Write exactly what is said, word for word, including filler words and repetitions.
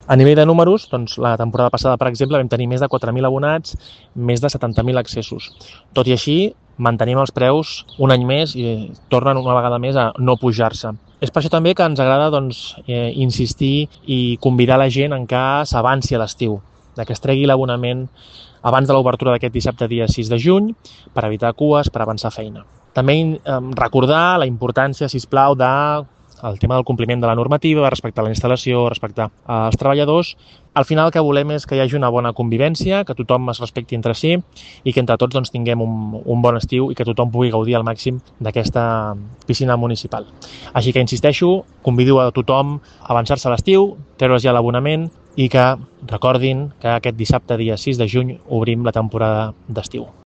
A nivell de números, doncs, la temporada passada, per exemple, vam tenir més de quatre mil abonats, més de setanta mil accessos. Tot i així, mantenim els preus un any més i tornen una vegada més a no pujar-se. És per això també que ens agrada doncs, eh, insistir i convidar la gent en què s'avanci a l'estiu, que es tregui l'abonament abans de l'obertura d'aquest dissabte dia sis de juny per evitar cues, per avançar feina. També eh, recordar la importància, sisplau, de el tema del compliment de la normativa, respectar la instal·lació, respectar els treballadors. Al final el que volem és que hi hagi una bona convivència, que tothom es respecti entre si i que entre tots doncs, tinguem un, un bon estiu i que tothom pugui gaudir al màxim d'aquesta piscina municipal. Així que insisteixo, convido a tothom a avançar-se a l'estiu, treure's ja l'abonament i que recordin que aquest dissabte dia sis de juny obrim la temporada d'estiu.